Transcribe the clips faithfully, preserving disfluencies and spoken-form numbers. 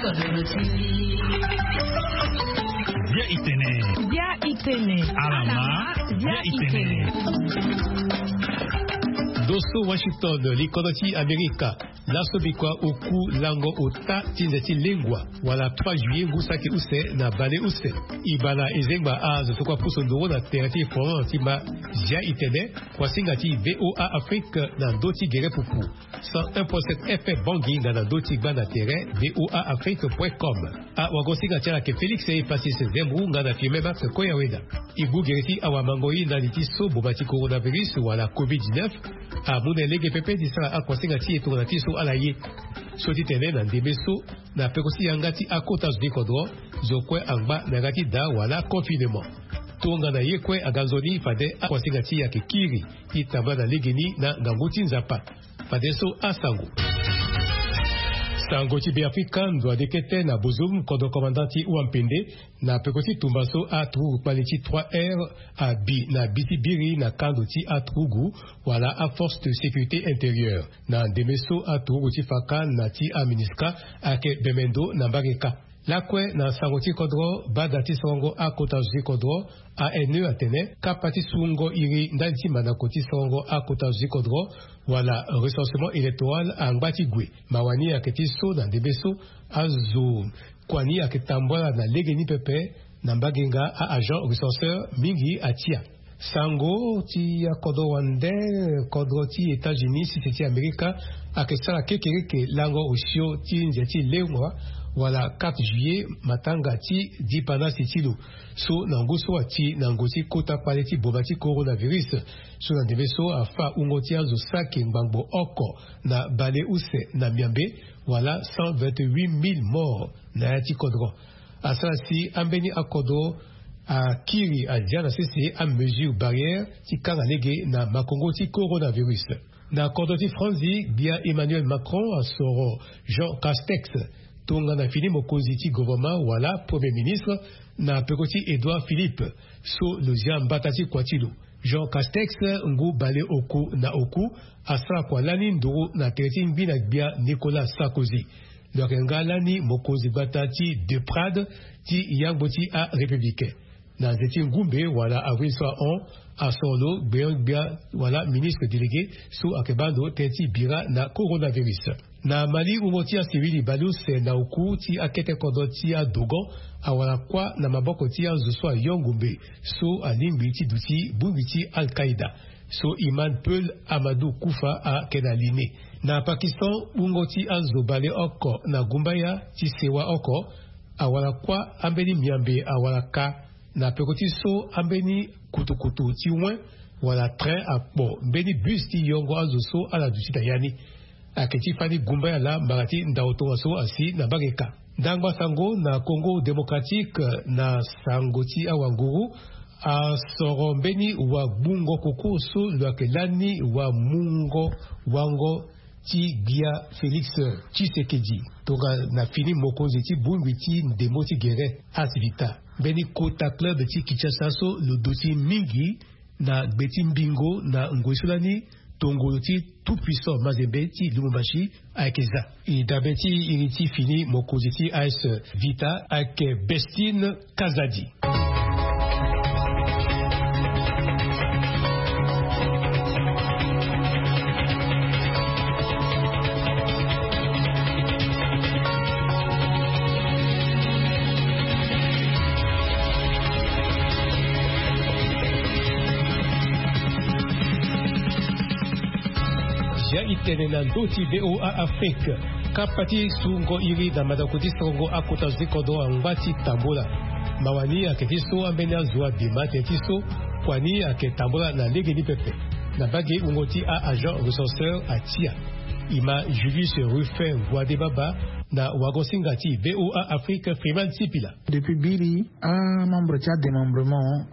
Bia itene. Bia itene. Alama. Bia itene. Doso Washington, likodro ti Amerika. Laso bikua oku lango ota ti nze ti lengua wala trois juillet ngu saki use na bale use. Ibana ezengba azo so kua pusu nduru na tere ti eforan ti ma. Zia itene. Kuasinga ti VOA Afrique na ndö ti gere pupu. Cent un point sept FM Bangui nga na ndö ti gba na tere VOA Afrique point com. Awagosinga ti ala yeke Félix Epasis Zembou nga na Firmin Max Koyaweda. E gbu gere ti awamangoi ndali ti so boma ti coronavirus wala covid dix-neuf amu na e lege pepe ti sara akuasinga ti e tongana ti so ala ye. So ti tene na ndembe so na peko ti yanga ti akota zo ti kodro, zo kue angba na yanga ti daa wala confinement. Tongana ye kue aga nzoni fade akuasinga ti e ayeke kiri ti tambula na legeni na ngangu ti Nzapa. Fadeso asango. Sango ti Beafrika, ndo ade kete na bozum kodro commandant ti wampende na peko ti tumba so aturugu kpali ti trois R abi na bi ti biri na kando ti aturugu wala aforce de sécurité intérieure. Na ndembe so aturugu ti faka na ti aminisika ayeke bemendo na mbage kâ. Lakue na sango ti kodro, bada ti sorongo akota zo ti kodro, ANE, atene kapa ti sungo iri ndali ti mandako ti sorongo akota zo ti kodro wala recensement électoral angba ti gue. Mawa ni ayeke ti so na ndembe so azo kua ni ayeke tambula na legeni pepe na mbage nga a-agent recenseur mingi atia. Sango ti akodro wande, kodro ti États-Unis, sese ti Amerika, ayeke sara kekereke lango osio ti nze ti lengua wala quatre juillet, matanga ti dipanasi ti lo. So na ngu so ati na ngu ti kota kpale ti boma ti coronavirus. So na ndembe so afa wungo ti azo saki ngbangbo oko na bale use na miambe, wala cent vingt-huit mille morts na ya ti kodro. Asara si ambeni akodro akiri azia na sese amesure barrière ti kanga lege na makongo ti coronavirus. Na kodro ti Franzi, gbia Emmanuel Macron asoro Jean Castex tongana fini mokonzi ti gouvernement wala premier ministre na peko ti Édouard Philippe, so lo zia mbata ti kua ti lo. Jean Castex, ngu bale oku na oku, asara kua lani nduru na tere ti ngbi na gbia Nicolas Sarkozy. Lo yeke nga lani mokonzi gbata ti De Prade ti yangbo ti arépublicain. Na nze ti ngumbe wala avril so ahon, asoro lo gbeon-gbia wala ministre délégué so ayeke baa ndo tënë ti bira na coronavirus. Na Mali, wungo ti asivili baleuse na oku ti akete kodro ti adogon awara kuâ na maboko ti azo so ayo ngumbe so alingbi ti duti bongbi ti Al-Qaïda, so Imam Peul Amadou Kufa ayeke na li ni. Na Pakistan, wungo ti azo baleoko na gumbaya ti sewa oko awara kuâ, ambeni miambe awara ka na peko ti so ambeni kutukutu ti wen wala train akpo mbeni bus ti yongo azo so ala duti na ya ni. Ayeke ti fani gumbaya laa mbara ti ndao tongaso asi na mbage kâ. Ndangba sango na Congo Démocratique, na sango ti awanguru, asoro mbeni wagbungo koko so lo yeke lani wamungo wango ti gbia Félix Tshisekedi tongana fini mokonzi ti bongbi ti ndembo ti gere Asvita. Mbeni kota club ti Kinshasa so lo duti mingi na gbe ti mbingo na ngoi so lani tongolo ti tout puissant Mazembe ti Lubumbashi ayeke za. E dabe ti iri ti fini mokonzi ti A S Vita ayeke Bestine Kazadi. Ya itene na ndö ti VOA Afrique. Kapa ti sungo iri na mandako ti sorongo akota zo ti kodro angba ti tambula. Mawa ni ayeke ti so ambeni azo abima tënë ti so kua ni ayeke tambula na lege ni pepe. Na mbage wungo ti a-agent recenseur atia. E ma Julius Ruffin Voide Baba na wagosinga ti VOA Afrique Freeman Sipila. Depuis biri, amembre ti adémembrement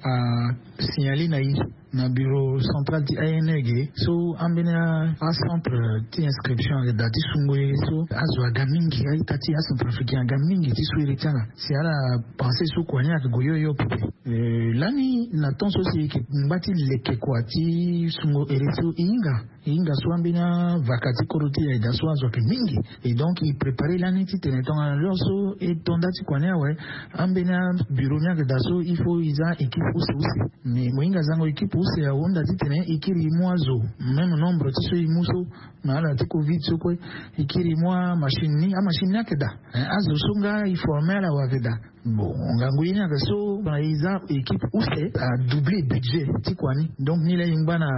asignalé na e na bureau central ti A N E ge so ambeni acentre ti inscription ayeke daa ti sungo ye so azo aga mingi, a-ita ti acentrafricain aga mingi ti so iri ti ala. Si ala pensé so kua ni ayeke gue yo yo pepe. Eh, lani na temps so si e yeke ngba ti leke kua ti sungo ere so e hinga E hinga so ambeni avaka ti kodro ti e ayeke daa so azo ayeke mingi. E donc e prépare lani titene tongana l'heure so e to nda ti kua ni awe, ambeni aburo ni ayeke daa so il faut e za équipe use use. Mais mo hinga zango équipe use ahunda titene e kiri e mu azo même nombre ti so e mu so na ala ti covid so kue. E kiri e mu amachine ni, amachine ni ayeke daa. Azo so nga e forme ala awe ayeke daa. Bon, ngangu ye ni ayeke so na e za équipe use a doubler budget ti kua ni. Donc ni laa e ngba na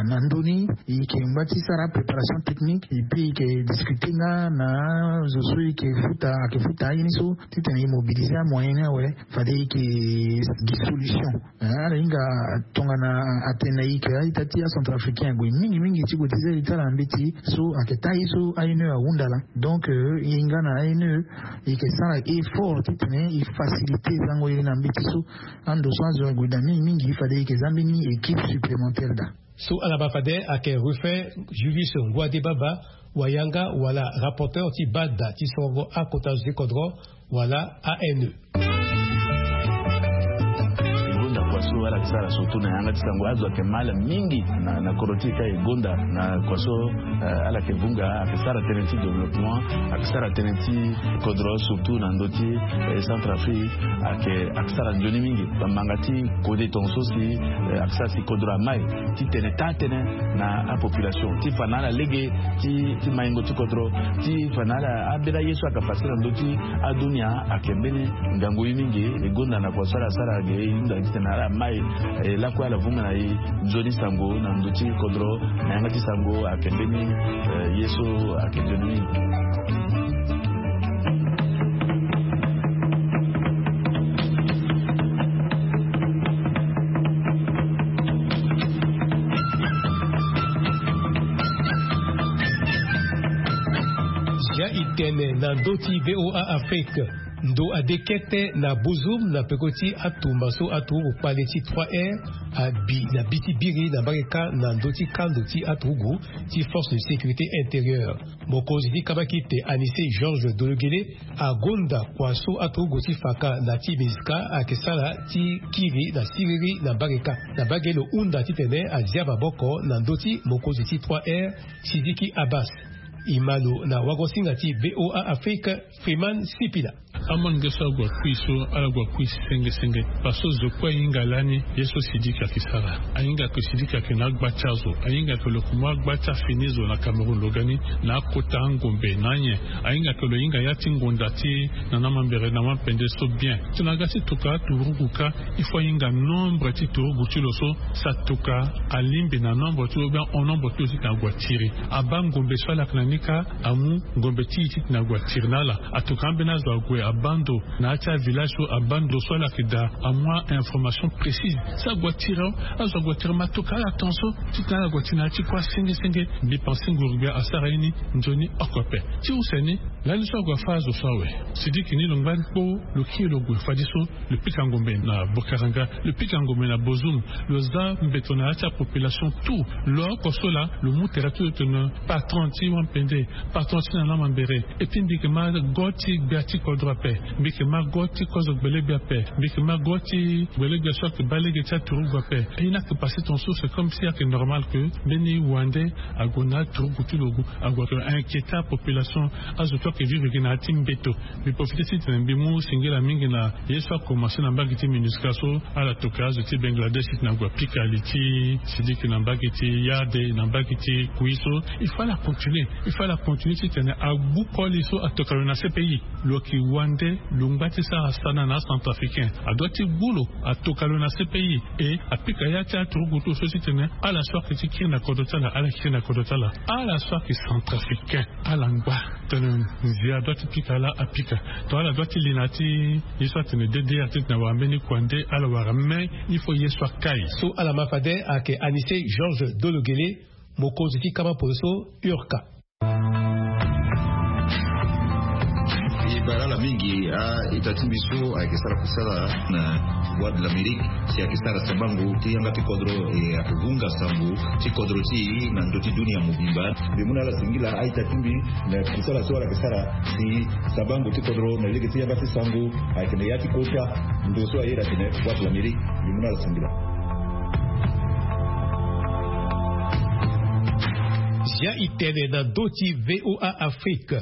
na ndö ni, e yeke ngba ti sara préparation technique et puis e yeke discuter nga na zo so e yeke futa, ayeke futa aye ni so titene e mobiliser amoyen ni awe. Fade e yeke gi solution. Ala hinga tongana atene na e yeke a-ita ti acentrafricain ague mingi mingi ti gue ti zia e ti ala na mbeti so ayeke taa ye so A N E ahunda laa. Donc e hinga na A N E e yeke sara effort titene e faciliter zango ye na mbeti so. Ando so azo ague daa mingi mingi fade e yeke za mbeni équipe supplémentaire daa. So ala baa fade ayeke Ruffin Julius Ngouadé Baba, wayanga wala rapporteur ti bada ti sorongo akota zo ti kodro wala A N E. E gonda kua so ala yeke sara surtout na yanga ti sango azo ayeke mal mingi na na kodro ti e ka e gonda na kua so. Ala yeke vunga ayeke sara tënë ti développement, ayeke sara tënë ti kodro surtout na ndö ti Centrafrique. Ayeke ayeke sara nzoni mingi bambanga ti kode tonga so si ayeke sara si kodro amai titene taa tënë na apopulation ti fa na ala lege ti maingo ti kodro ti fa na ala. Ambeni aye so ayeke fasi na ndö ti adunia ayeke mbeni ngangu ye mingi. E gonda na kua so ala sara ge e hunda titene ala mai lakue ala vunga na e nzoni sango na ndö ti kodro na yanga ti sango ayeke mbeni ye so ayeke nzoni mingi. Zia e tene na ndö ti VOA Afrique. Ndo ade kete na Bozoum na peko ti atumba so aturugu kpale ti trois R abi na bi ti biri na mbage kâ na ndö ti kando ti aturugu ti force de sécurité intérieure. Mokonzi ti kabakite Anicet Georges Dologuélé agonda kua so aturugu ti faka na ti MINUSCA ayeke sara ti kiri na siriri na mbage kâ. Na mbage lo hunda titene azia maboko na ndö ti mokonzi ti trois R, Sidiki Abbas. E ma lo na wagosinga ti VOA Afrique, Freeman Sipila. Amange so agua kui so ala gua kui senge senge. Parce que zo kue ahinga lani ye so Sidiki ayeke sara. Ahinga ke Sidiki ayeke na agba ti azo. Ahinga ke lo ke mu agba ti afini zo na Cameroun lo ga ni na akota angombe na anyen. Ahinga ke lo hinga ya ti ngonda ti na na mambere na wampende so bien. Tongana aga ti toka aturugu kâ, il faut ahinga nombre ti turugu ti lo so si atoka alingbi na nombre ti lo ou bien en nombre ti lo titene agua tiri. Abaa ngombe so ala yeke na ni kâ amu ngombe ti e titene agua tiri na ala. Atoka ambeni azo ague abaa ndo na ya ti avillage so abaa ndo so ala yeke daa amu ainformation précise. Si agua tiri awe azo agua tiri ma atoka ala tongaso titene ala gua tiri na ya ti kuâ senge senge. Mbi pense nguru gbia asara ye ni nzoni oko ape. Ti use ni lani so agua fâ azo so awe. Sidiki ni lo ngba ni kpo lo kiri lo gue fadeso lo pika ngombe na Bokaranga, lo pika ngombe na Bozoum, lo za mbeto na ya ti apopulation tout. Lo oko so laa lo mu tere ti lo tene patron ti wampende, patron ti na na mambere. Et puis mbi yeke ma go ti gbia ti kodro ape, mbi yeke ma go ti kozo gbelegbia ape, mbi yeke ma go ti gbelegbia so ayeke baa lege ti aturugu ape. Aye ni ayeke passé tongaso, c'est comme si ayeke normal que mbeni wande ague na aturugu ti lo ague ayeke inquiéter apopulation. Azo so ayeke vivre gi na ya ti mbeto. Mbi profite titene mbi mu singila mingi na ye so akomanse na mbage ti MINUSCA so ala toka azo ti Bangladesh titene agua pika li ti Sidiki na mbage ti Yade na mbage ti Kui so. Il faut ala continuer, il faut ala continuer titene agbu koli so atoka lo na C P I. Lo yeke wande, lo ngba ti sara sana na acentrafricain. Adua ti gbu lo atoka lo na C P I. E apika ya ti aturugu ti lo so titene ala so ayeke ti kiri na kodro ti ala ala kiri na kodro ti ala. Ala so ayeke centrafricain ala ngba tene nzia adua ti pika laa apika. Tongana ala dua ti li na ya ti ye so atene D D R titene awara mbeni kua nde ala wara, mais il faut ye so akai. So ala ma fade ayeke Anicet Georges Dologuélé, mokonzi ti kama polo so, URCA. E bara ala mingi a-ita ti mbi so ayeke sara kusala na Voix de l'Amérique, si ayeke sara sabango ti yanga ti kodro, e ayeke vunga sango ti kodro ti e na ndö ti dunia mobimba. Mbi mu na ala singila a-ita ti mbi na kusala so ala yeke sara si sabango ti kodro na lege ti yanga ti sango ayeke na ya ti kota ndo so aye atene Voix de l'Amérique. Mbi mu na ala singila. Zia itene na ndö ti VOA Afrique.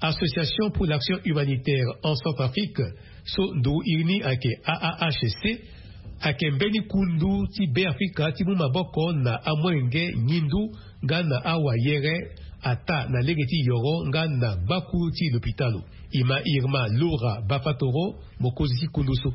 Association pour l'action humanitaire en Centrafrique, so nduru iri ni ayeke A A H C, ayeke mbeni kundu ti Beafrika ti mu maboko na amolenge ngindu nga na awayere, ataa na lege ti yoro nga na gbakuru ti lopitalo. Ima Irma Laura Bafatoro, mokonzi ti kundu so.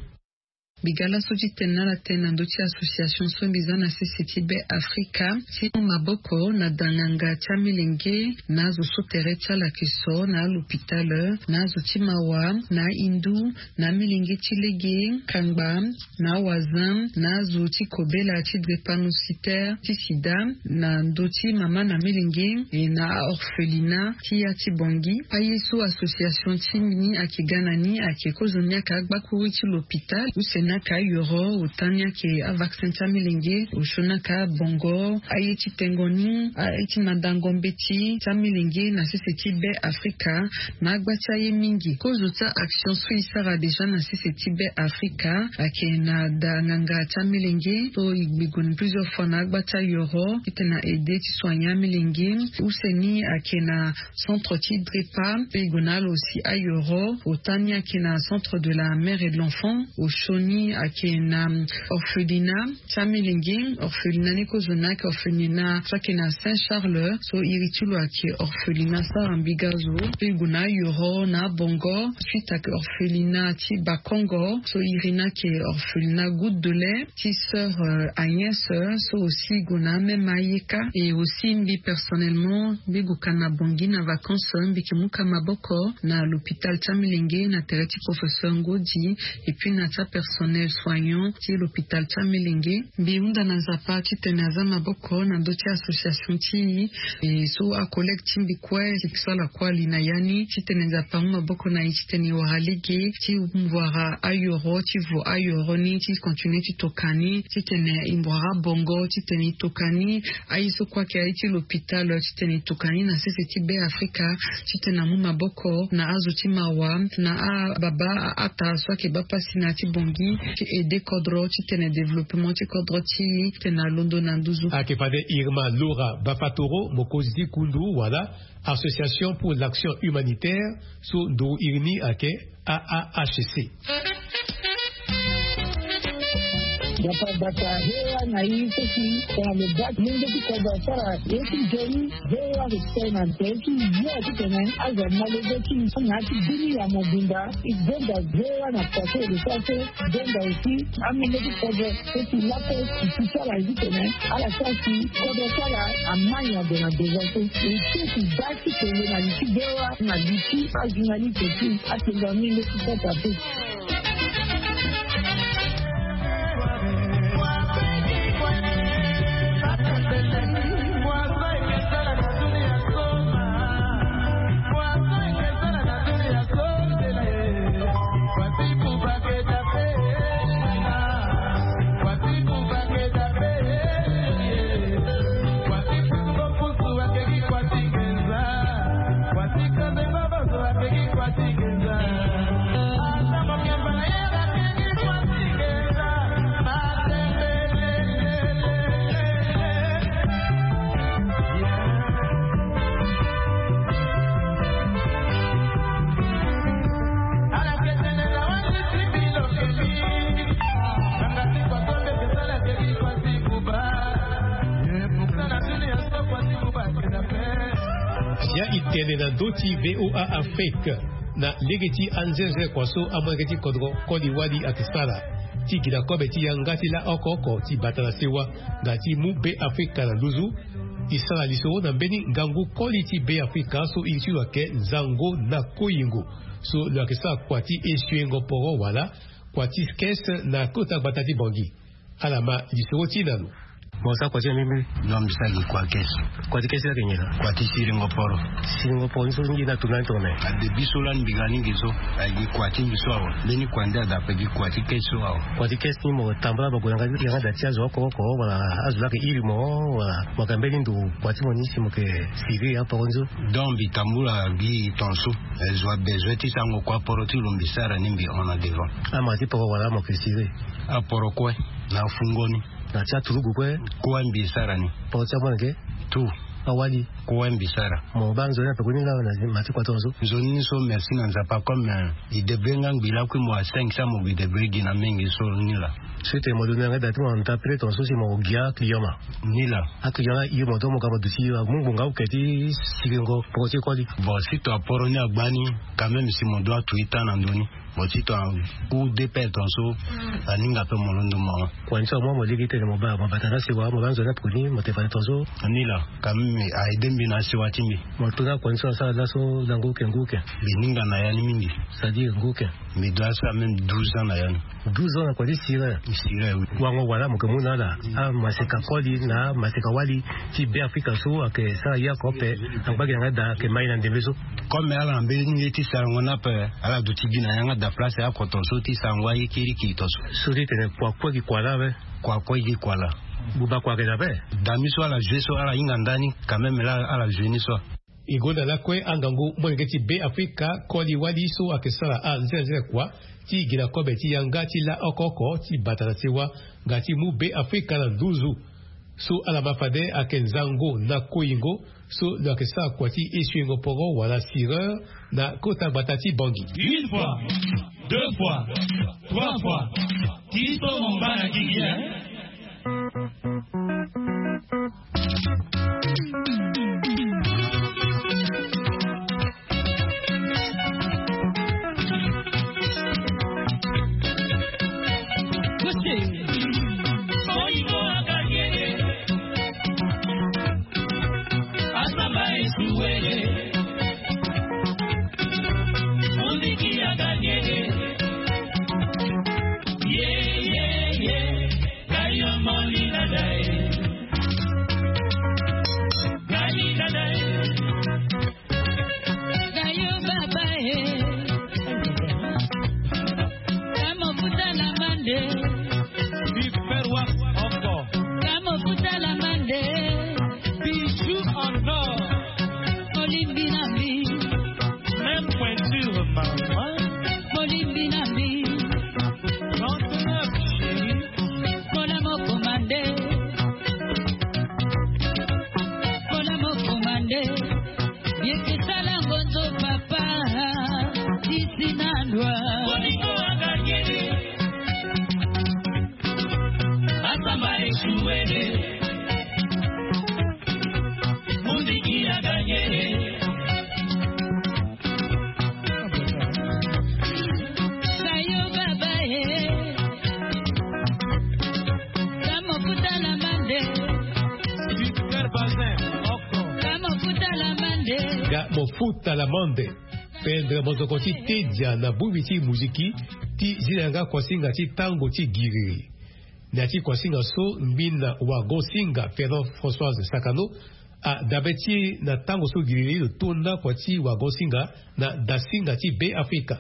Mbi ga laso ti tene na ala tënë na ndö ti association so mbi za na sese ti Beafrika ti mu maboko na da nganga ti amilenge na azo so tere ti ala ayeke so na alopitale, na azo ti mawa, na ahindu, na amilenge ti lege, kangba, na awazin, na azo ti kobela ti drépanocytaire ti sida, na ndö ti mama na milenge, e na aorphelina ti ya ti Bangui. Aye so association ti mbi ni ayeke ga na ni ayeke kozo ni ayeke agbakuru ti lopitale, use ni ayeke ayoro, ota ni ayeke avaccin ti amilenge, osio ni ayeke abongo, aye ti tengo ni, aye ti mandango mbeti ti amilenge na sese ti Beafrika, na agba ti aye mingi. Kozo ti a-action so e sara déjà na sese ti Beafrika ayeke na da nganga ti amilenge so e gbi gue na plusieurs fois na agba ti ayoro titene na aide ti soigner amilenge. Use ni ayeke na centre ti drepa, mpe e gue na ala aussi ayoro. Ota ni ayeke na centre de la mère et de l'enfant. Osio ni ayeke na orphelina ti amilenge. Orphelina ni kozo ni ayeke orphelina so ayeke na Saint Charles, so iri ti lo ayeke orphelina Sara Mbigazo. Mpe e gue na ayoro na abongo, suite ayeke orphelina ti Bakongo, so iri ni ayeke orphelina Goutte de lait ti sœur, euh, Agnès, euh, so aussi e gue na amême ayeka. Et aussi mbi personnellement, mbi gue ka na Bangui na vacances, mbi yeke mu ka maboko na l'hôpital ti amilenge na tere ti professeur Ngodi, et puis na ti apersonnel soignant ti l'hôpital ti amilenge. Mbi hunda na Nzapa titene aza maboko na ndö ti association ti e, so acollègue ti mbi kue, si e sara kue ali na ya ni, titene Nzapa amu maboko na e titene e wara lege ti wara ayoro, ti vo ayoro ni, ti continue ti toka ni, titene e wara bongo, titene e toka ni. Aye so kue ayeke aye ti l'hôpital, titene e toka ni na sese ti Beafrika, titene amu maboko na azo ti mawa, na ababa, aata so ayeke baa pasi na ya ti Bangui, ti aide kodro, titene développement ti kodro ti e, titene alondo na nduzu. Ayeke fade Irma Laura Bafatoro, mokonzi ti kundu wala Association pour l'action humanitaire, so nduru iri ni ayeke A A H C. Nzapa bata hewa na i so si tongana lo baa ti mungo ti kodro asara ye ti nzoni. Hewa lo tene na nze ti yo titene azo amolenge ti na ya ti bini ya mobimba. E gonda hewa na kua so e lo sara so. E gonda aussi amolenge ti kodro so si lape e si ti ala titene ala sara si kodro ti ala ama nyango na devant so. E si e si baa ti kele na li ti hewa na li ti ajournaliste ti atenda amolenge ti kota pe. Zia e tene na ndö ti VOA Afrique na lege ti anzenze kua so amolenge ti kodro koli wali ayeke sara ti gi na kobe ti yanga ti laa oko oko ti bata na sewa nga ti mu Beafrika na nduzu. E sara lisoro na mbeni ngangu koli ti Beafrika so iri ti lo ayeke nzango na koyingo, so lo yeke sara kua ti esuengo poro wala kua ti kese na kota gbata ti Bangui. Ala ma lisoro ti na lo. Mo sara kua ti nyen mbeni? Non, mbi sara gi kua kese. Kua ti kese ayeke nyen laa? Kua ti siringo poro. Siringo poro ni so nyen na tongana ni tongana? Adebi so lani mbi ga ni gi so, aye gi kua ti mbi so awe. Mbeni kua nde aga ape gi kua ti kese so awe. Kua ti kese ni mo tambula mo gue na yanga ti yanga da ti azo oko oko wala azo laa ayeke iri mo wala mo yeke mbeni ndo kua ti mo ni si mo yeke siri aporo ni so? Donc mbi tambula gi ton so. E zo abezoin ti sarango kua aporo ti lo mbi sara ni mbi hon na devant. Ama ti poro wala mo yeke siri? Aporo kue na afungo ni. Na ti aturugu kue? Kue mbi sara ni. Poro ti amolenge? Tout. Awali? kue mbi sara. Mo baa nzoni ape kue ni laa na zi ma ti kua tongaso. Nzoni ni so merci na Nzapa comme, eh, e debre nga ngbi lakui mo asengisa mo bi debre gi na mingi so ni laa. So e tene mo dunia nga da ti mo na nda pele tongaso si mo gi aclient ma. Ni laa. Aclient nga hio mo do mo ga mo duti amu ngbonga oke ti siringo poko ti koli. Bon si to aporo ni agba ni, quand même si mo do atu ita na ndö ni. Mo ti to ahou deux pele tongaso. Aninga ape mo londo mo. Kua ni so amu mo lege ti tene mo baa mo bata na sewa mo baa nzoni ape kue ni mo tene fade tongaso. Ni laa. Quand même a aide mbi na sewa ti mbi. Mo to na kua ni so asara laso na ngu oke ngu oke. Mbi ninga na ya ni mingi. C'est-à-dire ngu oke. Mbi do asara même douze ans na ya ni. Douze ans na kua ti sira. Sira oui. Wango wala mo ke mu na ala amaseka koli na amaseka wali ti Be Afrika so ayeke sara ye oko ape. Angba gi na nga da ayeke mai na ndembe so. Comme ala na mbeni nge ti sarango ni ape, ala duti gi na yanga da place oko tongaso ti sarango aye kirikiri tongaso. So ti tene kua kue gi kua laa ape. Kua kue gi kua laa. Buba kua ayeke na ape. Dami so ala joue so ala hinga ndani quand même laa ala joue ni so. E gonda lakue angangu molenge ti Be Afrika koli wali so ayeke sara anzenanzena kua ti gi na kobe ti yanga ti laa oko oko ti bata na sewa nga ti mu Be Afrika na nduzu. So ala ma fade ayeke nzango na koyingo so lo yeke sara kua ti esuingo poro wala sireur na kota gbata ti Bangui. Une fois, deux fois, trois fois. Ti so mo ngba na gigi, hein? Gayo baba e. Kamo futa la mande. Super wax encore. Kamo futa la mande. Bijoux en or. Olimbi na mbi. Même pointure maman. Olimbi na mbi. Trente-neuf chérie. Kola mo komande. Kola mo komande. Yeke sala ngonzo papa. Tisi na ndwa. Bolingo aganyeli. Asamba esuwele. Muziki aganyeli. Sayo baba e. Kamo futa la mande. Super bazin. Kamo futa la mande. Ga mo futa la mande. Pendre mozoko ti tedia na bongbi ti muziki ti zi na yanga kuasinga ti tango ti giriri. Na ya ti kuasinga so ngbina wagon singa Fernand Françoise Sakano adabe ti e na tango so giriri lo tonda kua ti wagon singa na dasinga ti Be Afrika.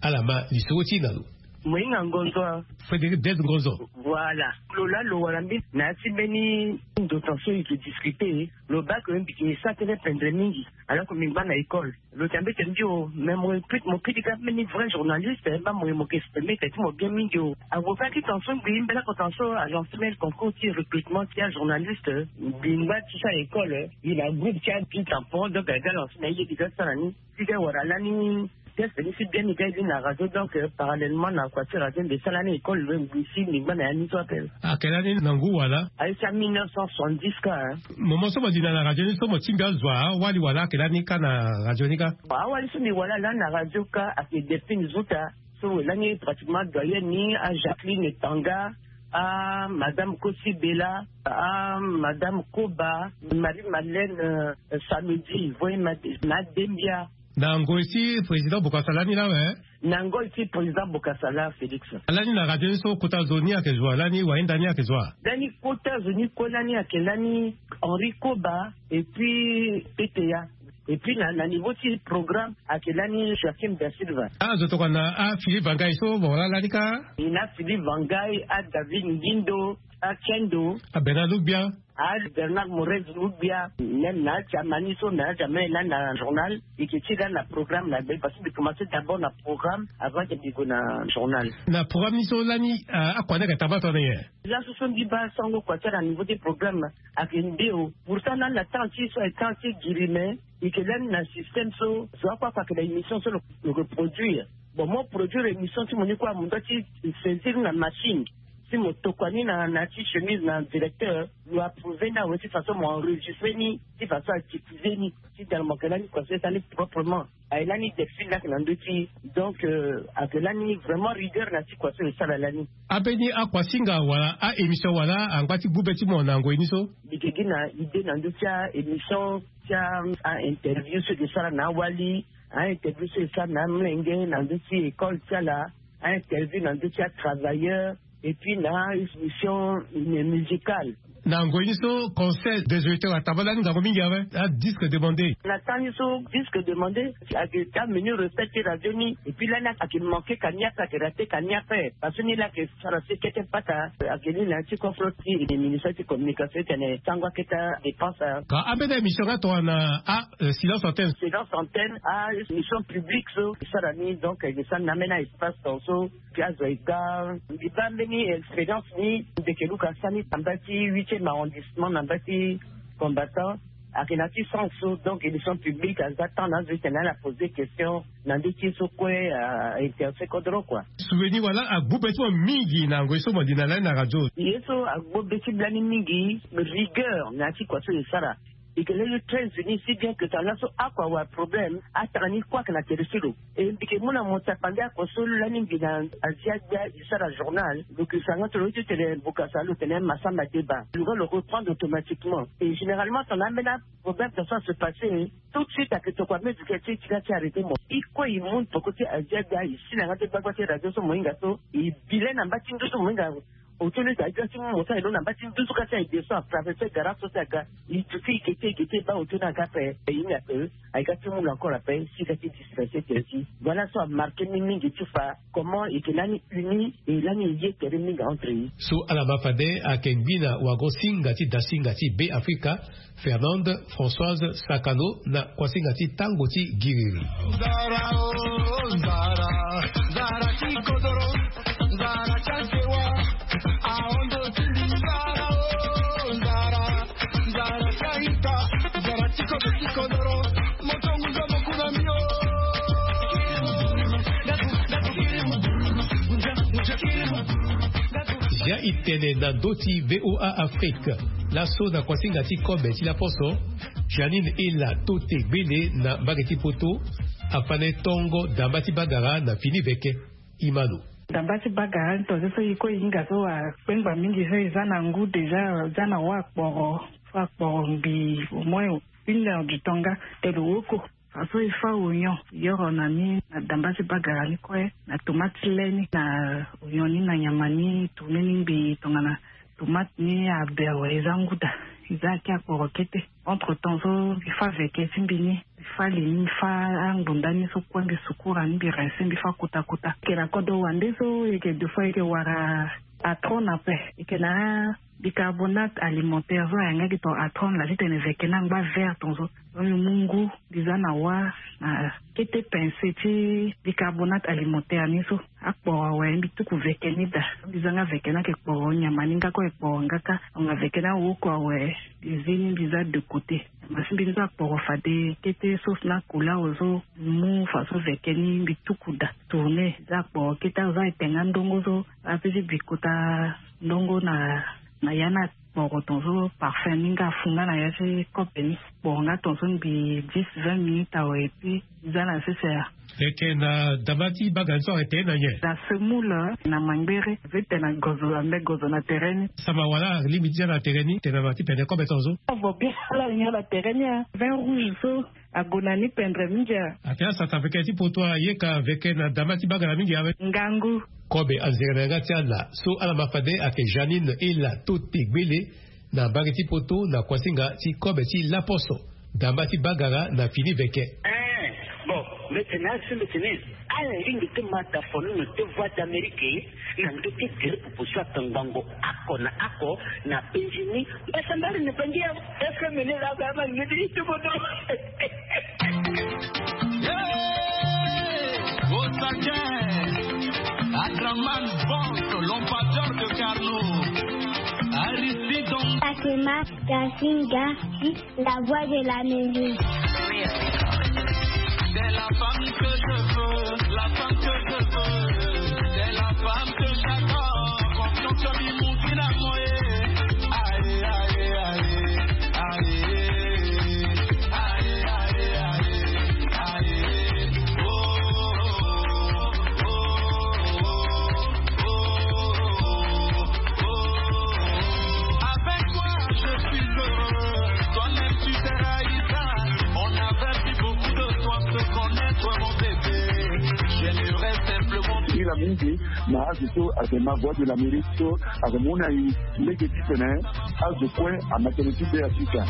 Ala ma lisoro ti e na lo. Mo hinga ngonzo. Frédéric Blaise Ngonzo. Voilà. Lo laa lo wara mbeni na ya ti mbeni ndo tan so e ke discuter. Lo baa ke mbi ke sara tënë pendre mingi. Alors que mbi ngba na école. Lo tene mbeti mbi o, mais mo, mo pui ti ga mbeni vrai journaliste, eh, baa mo, mo ke exprimer tene ti mo bien mingi o. Avocat ti tan so ngbii mbela ko tan so a lancer mbeni concours ti recrutement ti ajournaliste, eh, mbi ngba ti sara école, eh, mbi na groupe ti api tampon, donc aga lancer na ye mbi ga sara ni. Ti ga wara lani test ni si bien mbi ga ye ni na radio, donc, eh, parallèlement na kua ti radio mbi sara lani école, eh, ngbii si mbi ngba na ya ni so ape. Ayeke lani na ngu wala? Aye ti a mille neuf cent soixante-dix ka, hein. Mo, mo so mo linda na radio ni so mo tingbi azo awali wala ayeke lani ka na radio ni ka? Awali so mbi wala lani na radio ka ayeke Delphine Zuta, so lani pratiquement doyenne ni, a Jacqueline Tanga, a madame Kosi Bella, a madame Koba, Marie Madeleine, euh, Samedi, voye ma, na Dembia. Na ngoi ti président Bokassa lani laa awe? Na ngoi ti président Bokassa laa, Félix. Lani na radio ni so kota zo ni ayeke zo wa, lani wahinda ni ayeke zo wa? Lani kota zo ni kue lani ayeke lani Henri Koba et puis P T A. Et puis na, na niveau ti programme ayeke lani Joachim da Silva. Ah, zo tokua na, ah, Philippe Vangai so mo wara lani ka? E na Philippe Vangai, a David Ngindo, Akendo. Abernard Lugbia. A Bernard Morez Lugbia, même na jamani so na jamani na na journal. Eke ti la na programme na be parce que commencer d'abord na programme avant que bigo na journal. Na programme ni so lani akua na ka tabata na ye. Là ce sont des bas sango quoi ça na niveau des programmes. Avec ndeo pourtant na na temps ti so temps ti girime. Eke lani na système so zo akua akua ke na émission so lo reproduire. Bon mo produire émission ti mo ni kua mo nda ti saisir na machine. Si mo tokua ni na na ti chemise na directeur lo approuve ni awe ti façon mo enregistre ni ti façon a diffuse ni. Ti dal mo ke lani kua so e sali proprement. Aye lani delphine lake na ndö ti donc ake lani vraiment rigueur na ti kua so e sara lani. Ambeni akuasinga wala a émission wala angba ti gbu be ti mo na ngoi ni so? Mbi ke gi na idée na ndö ti a émission ti a interview so e ke sara na awali, a interview so e sara na amlenge na ndö ti école ti ala, a interview na ndö ti atravailleur, et puis na émission musicale. Na ngoi ni so conseil des auditeurs ataba lani ngangu mingi awe. Adisque demandé na temps ni so disque demandé. Ake ti amenu respect ti radio ni et puis lani ake manqué ka ni ape ake raté ka ni ape parce que ni lake sara si kete pata. Ake ni na ti confront ti ministère ti communication ti tene sango akete adépense. Ka ambeni émission nga tongana a silence antenne silence antenne a émission publique so e sara ni donc e sara na ambeni a espace ton so. Piazo ega mbi baa mbeni expérience ni mbi ke luka sani na mba ti huitième arrondissement na mba ti combattant. Ake na ti sens so donc émission publique aza temps na azo ti tene ala poser question na nde ti ye so kue a interesse kodro kua. Souvenir wala agbu be ti mo mingi na ngoi so mo li na lani na radio? Ye so agbu be ti blani mingi rigueur na ya ti kua so e sara. Eke lele très unis si bien que tanga laso akua wa problème atanga ni kue ake na tere ti lo. E mbi ke mu na mo tapande akua so lani mbi na azia gbia e sara journal lo ke sanga ti lo ti tene bukasa lo tene masamba deba lo ga lo reprendre automatiquement. Et généralement tanga ambeni aproblème ta so ase passer tout de suite ake tokua mezike ti e ti ga ti arrêter mo. E kue e mu na poko ti azia gbia e si na nga ti gbagba ti radio so mo hinga so e bi le na mba ti nduzu mo hinga. Otio ni ga ti mu mo so aye lo na mba ti nduzu ka ti aye de so atraverse gara so ti aga. E duti e gete e gete e baa otio ni aga ape. E ye ni ape aye ga ti mu lo encore ape si ga ti dispense tere ti. Voilà so amarke ni mingi ti fa comment e ke lani uni e lani e ye tere mingi entre ye. So ala ma fade ayeke ngbi na wago-singa ti dasinga ti be afrika, Fernande Françoise Sakano na kuasinga ti tango ti giriri. Zia e tene na ndö ti VOA Afrique. Laso na kuasinga ti kobe ti laposo, Janine Ela Tote Gbele na mbage ti Poto afane tongo damba ti bagara na fini veke. Imano. Damba ti bagara ni tonze so e kue e hinga so akpengba mingi so e za na ngu déjà za na wa akporo so akporo mbi au moins une heure du temps nga te lo woko. Fa so e fa oignon yoro na ni na damba ti bagara ni kue na tomate ti le ni na oignon ni na nyama ni tourne ni ngbii tongana tomate ni abe awe e za nguda. E za ake akporo kete. Entre temps so mbi fa veke ti mbi ni mbi fa li ni mbi fa angbunda ni so kue mbi sukura ni mbi rince mbi fa kota kota. Eke na kodro wande so eke deux fois eke wara atron ape eke na bicarbonate alimentaire so ayanga gi ton atron la ti tene veke ni angba vert ton so. So mbi mu ngu mbi za na wa na kete pince ti bicarbonate alimentaire ni so akporo awe mbi tuku veke ni daa. Mbi za nga veke ni ayeke kporo nyama ni nga kue ayeke kporo nga kâ. Anga veke ni awoko awe mbi zi ni mbi za deux côté. Nyama ti mbi ni so akporo fade kete sauce na kola awe so mbi mu fa so veke ni mbi tuku daa tourne. Mbi za akporo kete awe so ayeke tenga ndongo so ape ti bi kota ndongo na na ya ni akporo ton so parfum ni nga afu nga na ya ti kope ni. Kporo nga ton so mbi dix vingt minutes awe et puis mbi za na sese ya. Eke na damba ti bagara ni so ayeke tene na nyen? Na semoule na mangbere azo ti tene na gozo ambe gozo na tere ni. Samba wala alingbi ti za na tere ni tene na ma ti pene kobe ton so. Avo bien ala nyen na tere ni a vin rouge so ague na ni pendre mingi a. Ake asata veke ti poto ayeka veke na damba ti bagara mingi awe. Ngangu. Kobe anzere na yanga ti ala so ala ma fade ayeke Janine Ela Tote Gbele na mbage ti poto na kuasinga ti kobe ti laposo damba ti bagara na fini veke. Eh, bon. Mete na asembe tene ala lingbi te ma ta fonono te Voix d'Amérique na ndö ti tere pupu so ata ngbangbo ako na ako na penzi ni. Mbasambari na bangi ya F M ni la ba ma ngedi itobodo. Au taquet, Adraman Vance, l'ambassadeur de Carnot, Aristide. Fatima Gasinga, la voix de l'Amérique. C'est la femme que je veux, la femme que je veux. C'est la femme que j'adore. Confiance sur lui, mon finalement. Aïe, aïe, aïe, aïe. Avec toi, je suis heureux. Toi-même, tu t'es ravi. On n'avait plus beaucoup de temps se connaître, mon bébé. J'aimerais simplement. Ila mingi na azo so ayeke ma Voix de l'Amérique so ayeke mu na e lege titene azo kue amatene ti be ya sika.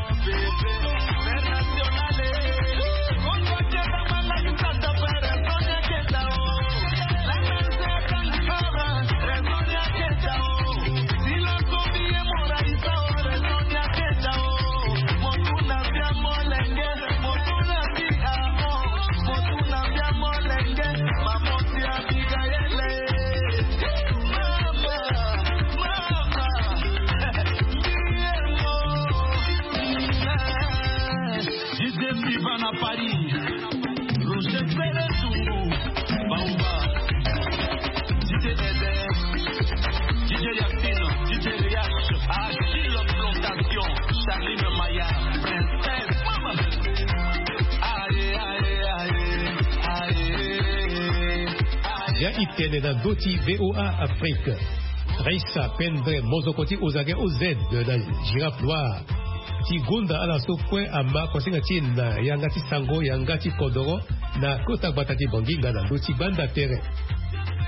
Joseph Ivan à Paris, Roger Pérez Zungu, Baoba, D J Eder, D J Yacine, D J Riach, Achille Plantation, Charline Maya, Princesse, Mama. Aïe, aïe, aïe, aïe, aïe. Ya e tene na ndö ti V O A Afrique. Raissa Pendre, mozoko ti Ozage O Z de la Girafe Noire. Ti gonda ala so kue ama kosinga ti e na yanga ti sango, yanga ti kodoro, na kota gbata ti Bangui nga na ndö ti gbanda tere.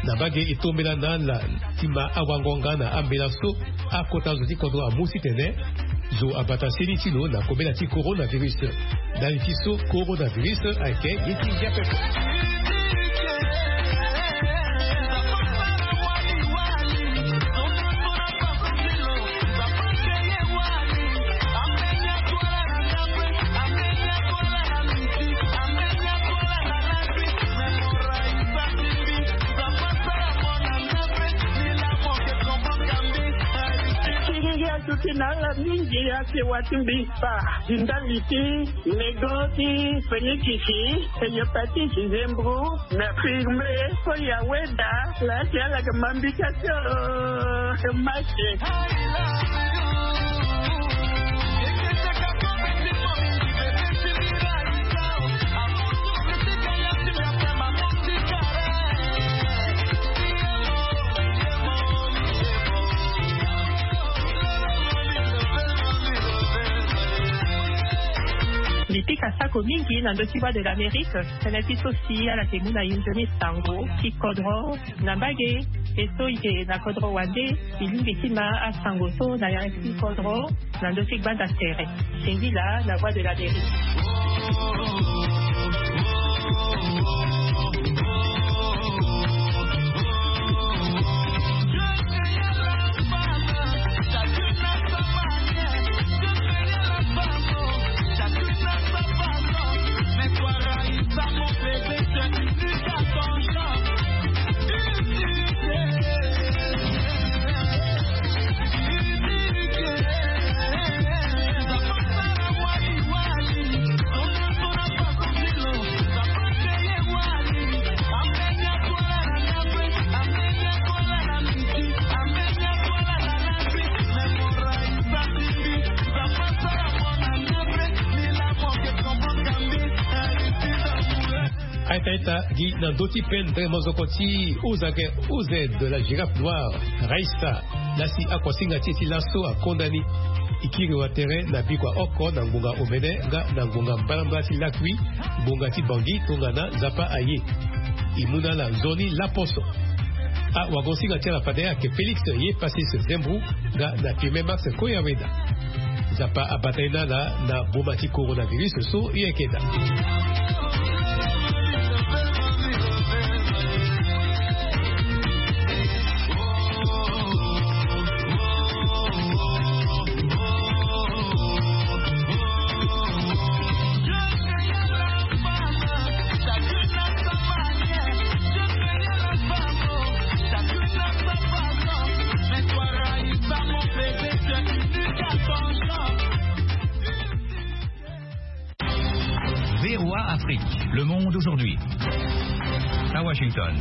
Na mbage e tombela na ala ti ma awango nga na ambela so akota zo ti kodro amu titene zo abata seni ti lo na kobela ti coronavirus. Ndali ti so coronavirus ayeke ye ti ngia pepe. Ti ngia so ti na ala mingi ake wa ti mbi kpa. Ti ndali ti lego ti fenikisi, hépatite, nzembro, na firme, so ya weda, la ti ala yeke ma mbi ka ti o, ma ke. Mbi pika sako mingi na ndö ti Voix de l'Amérique, tënë ti so si ala yeke mu na e nzoni sango ti kodro na mbage, e so e yeke na kodro wande, e lingbi ti ma asango so na yanga ti kodro na ndö ti gbanda tere. Singila na Voix de l'Amérique. Aita aita gi na ndö ti pendre mozoko ti Ozage O Z de la Girafe Noire, Raissa, lasi akuasinga ti e ti laso akonda ni. E kiri wa tere na bikua oko na ngbonga omene nga na ngbonga mbalambala ti lakui, ngbonga ti Bangui tongana Nzapa aye. E mu na ala nzoni laposo. Awagosinga ti ala fade ayeke Félix Ye Passis Zembou nga na Firmin Max Koyaweda. Nzapa abata ye na ala na boma ti coronavirus so e yeke daa. Le monde aujourd'hui. À Washington.